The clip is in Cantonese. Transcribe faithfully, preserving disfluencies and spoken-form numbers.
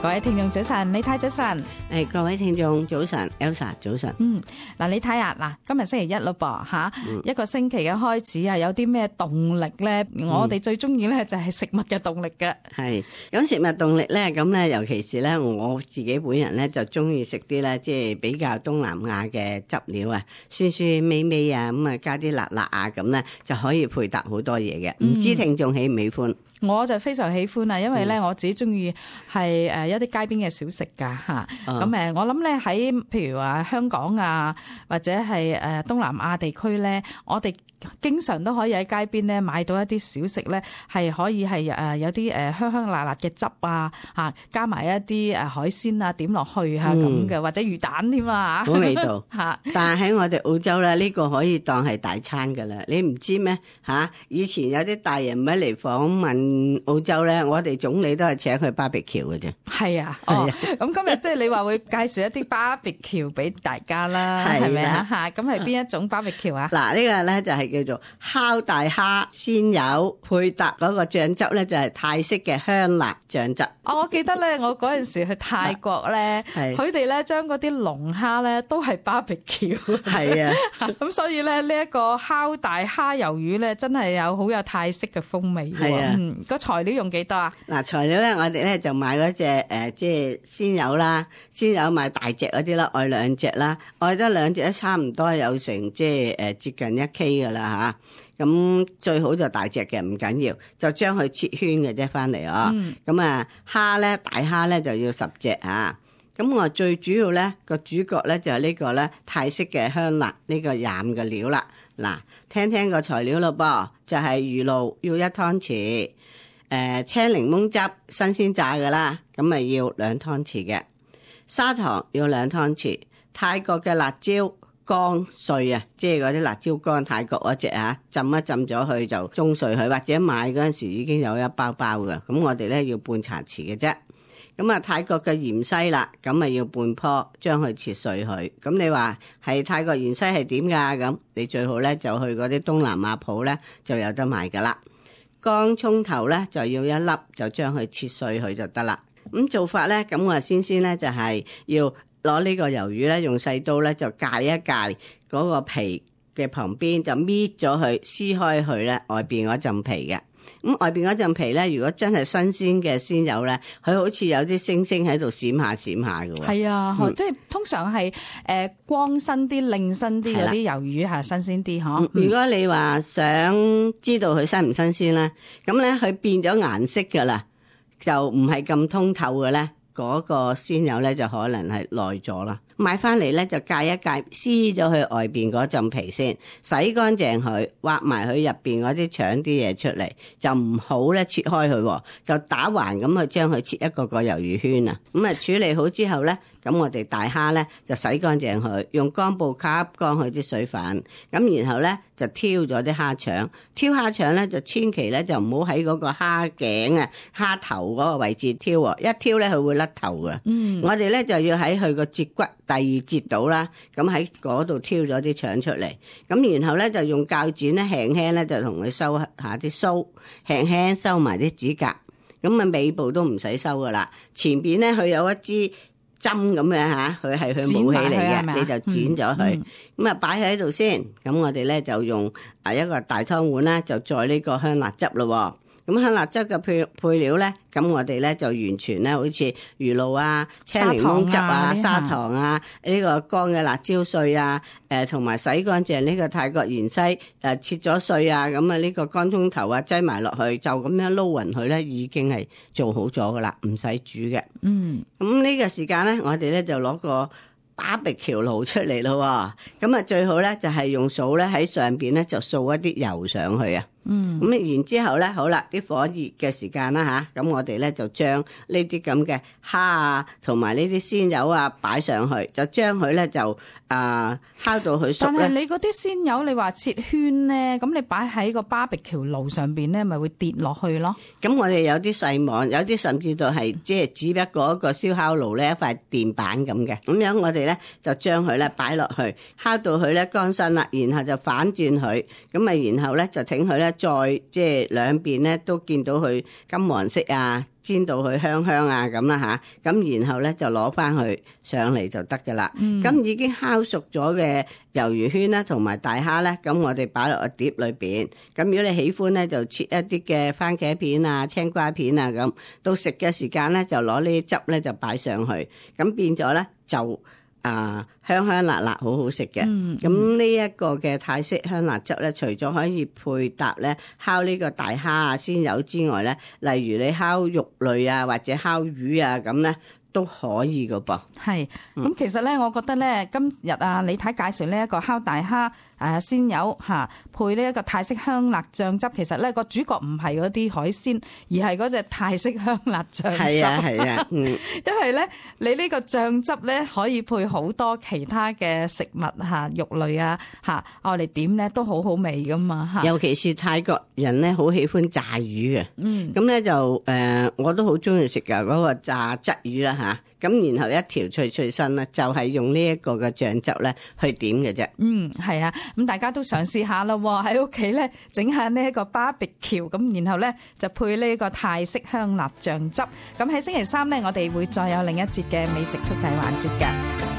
各位聽眾早晨，李太早晨。誒，各位聽眾早晨 ，Elsa 早晨。嗯，嗱，李太啊，嗱，今日星期一咯噃吓，嗯、一個星期嘅開始啊，有啲咩動力咧？嗯、我哋最中意咧就係食物嘅動力嘅。係，咁食物動力咧，咁咧，尤其是咧，我自己本人咧就中意食啲咧，即係比較東南亞嘅汁料啊，酸酸味味啊，咁啊加啲辣辣啊，咁咧就可以配搭好多嘢嘅。唔知聽眾喜唔喜歡？我就非常喜歡啊，因為咧我自己中意係誒一啲街邊嘅小食噶嚇，咁誒我諗咧喺譬如話香港啊，或者係誒東南亞地區咧，我哋經常都可以喺街邊咧買到一啲小食咧，係可以係誒有啲誒香香辣辣嘅汁啊嚇，加埋一啲誒海鮮啊點落去嚇咁嘅，或者魚蛋添啊嚇，好味道嚇。但係喺我哋澳洲咧，呢個可以當係大餐㗎啦，你唔知咩嚇？以前有啲大人物嚟訪問澳洲咧，我哋總理都係請佢 barbecue 嘅啫。係啊，哦，咁今日即係你話會介紹一啲 barbecue 俾大家啦，係咪啊？嚇，咁係邊一種 barbecue 啊？嗱，呢個咧就係叫做烤大蝦鮮油，配搭嗰個醬汁咧就係泰式嘅香辣醬汁。哦，我記得咧，我嗰陣時去泰國咧，佢哋咧將嗰啲龍蝦咧都係 barbecue。係啊，咁所以咧呢一個烤大蝦魷魚咧，真係有好有泰式嘅風味喎。係啊，嗯，個材料用幾多啊？嗱，材料咧我哋咧就買嗰隻誒即係鮮油啦，鮮油買大隻嗰啲啦，愛兩隻啦，愛得兩隻都差唔多有成即係誒接近一 K 噶啦吓，咁最好就大隻嘅，唔緊要，就將佢切圈嘅啫翻嚟啊。咁啊蝦咧大蝦咧就要十隻吓，咁我最主要咧個主角咧就係呢個咧泰式嘅香辣呢個醃嘅料啦。嗱，聽聽個材料咯噃，就係魚露要一湯匙。誒、呃，青檸檬汁新鮮榨嘅啦，咁咪要兩湯匙嘅，砂糖要兩湯匙，泰國嘅辣椒乾碎啊，即係嗰啲辣椒乾，泰國嗰隻啊，浸一浸咗佢就中碎佢，或者買嗰陣時已經有一包包嘅，咁我哋咧要半茶匙嘅啫。咁啊，泰國嘅芫茜啦，咁咪要半棵，將佢切碎佢。咁你話係泰國芫茜係點㗎？咁你最好咧就去嗰啲東南亞鋪咧就有得賣㗎啦。乾葱頭咧就要一粒，就將佢切碎佢就得啦。咁做法咧，咁我先先咧就係要攞呢個魷魚咧，用細刀咧就界一界嗰個皮嘅旁邊，就搣咗佢，撕開佢咧外邊嗰陣皮嘅。咁外邊嗰陣皮咧，如果真係新鮮嘅鮮魷咧，佢好似有啲星星喺度閃下閃下嘅喎。係啊，嗯、即係通常係誒光身啲、靚身啲嗰啲魷魚係新鮮啲嗬。如果你話想知道佢新唔新鮮咧，咁咧佢變咗顏色㗎啦，就唔係咁通透嘅咧，嗰、嗰個鮮魷咧就可能係耐咗啦。買翻嚟咧就戒一戒，撕咗佢外邊嗰陣皮先，洗乾淨佢，挖埋佢入邊嗰啲腸啲嘢出嚟，就唔好咧切開佢，就打橫咁去將佢切一個個魷魚圈啊。咁啊處理好之後咧，咁我哋大蝦咧就洗乾淨佢，用乾布吸乾佢啲水分，咁然後咧就挑咗啲蝦腸，挑蝦腸咧就千祈咧就唔好喺嗰個蝦頸啊、蝦頭嗰個位置挑喎，一挑咧佢會甩頭㗎。嗯，我哋咧就要喺佢個節骨第二節到啦，咁喺嗰度挑咗啲腸出嚟，咁然後咧就用鉸剪咧輕輕咧就同佢收下啲鬚，輕輕收埋啲指甲，咁啊尾部都唔使收噶啦，前邊咧佢有一支針咁嘅吓，佢係佢武器嚟嘅，你就剪咗佢，咁啊擺喺度先，咁我哋咧就用啊一個大湯碗啦，就載呢個香辣汁咯。咁香辣汁嘅配配料咧，咁我哋咧就完全咧，好似魚露啊、青檸檬汁啊、砂糖啊、呢個乾嘅辣椒碎啊，誒同埋洗乾淨呢個泰國芫茜誒切咗碎啊，咁啊呢個乾葱頭啊擠埋落去，就咁樣撈勻佢咧，已經係做好咗噶啦，唔使煮嘅。嗯，咁呢個時間咧，我哋咧就攞個barbecue爐出嚟咯，咁啊最好咧就係用掃咧喺上邊咧就掃一啲油上去啊。嗯，咁然之後咧，好啦，啲火熱嘅時間啦吓，咁我哋咧就將呢啲咁嘅蝦啊，同埋呢啲鮮魷啊擺上去，就將佢咧就啊、呃、烤到佢熟咧。但係你嗰啲鮮魷，你話切圈咧，咁你擺喺個 barbecue 爐上邊咧，咪會跌落去咯？咁我哋有啲細網，有啲甚至到係即係只不過一個燒烤爐咧，一塊電板咁嘅。咁樣我哋咧就將佢咧擺落去，烤到佢咧乾身啦，然後就反轉佢，咁啊然後咧就整佢咧。再即係兩邊咧都見到佢金黃色啊，煎到佢香香啊咁啦吓，咁然後咧就攞翻佢上嚟就得噶啦。咁、嗯、已經烤熟咗嘅魷魚圈啦，同埋大蝦咧，咁我哋擺落個碟裏邊。咁如果你喜歡咧，就切一啲嘅番茄片啊、青瓜片啊咁。到食嘅時間咧，就攞呢啲汁咧就擺上去，咁變咗咧就。啊，香香辣辣，好好食嘅。咁呢一個嘅泰式香辣汁咧，除咗可以配搭咧烤呢個大蝦啊、鮮魷之外咧，例如你烤肉類啊，或者烤魚啊咁咧，都可以噶噃。係，咁其實咧，我覺得咧，今日啊，李太介紹呢一個烤大蝦。誒鮮魷嚇配呢一個泰式香辣醬汁，其實咧個主角唔係嗰啲海鮮，而係嗰隻泰式香辣醬汁。係啊係啊，嗯，因為咧你呢個醬汁咧可以配好多其他嘅食物嚇，肉類啊嚇，我哋點咧都好好味噶嘛嚇。尤其是泰國人咧好喜歡炸魚嘅，嗯，咁咧就誒、呃、我都好中意食噶嗰個炸鯽魚啦嚇。咁然後一條脆脆身咧，就係、是、用呢一個嘅醬汁咧去點嘅啫。嗯，係啊，咁大家都嘗試下咯，喺屋企咧整下呢一個 barbecue，咁然後咧就配呢個泰式香辣醬汁。咁喺星期三咧，我哋會再有另一節嘅美食速遞環節嘅。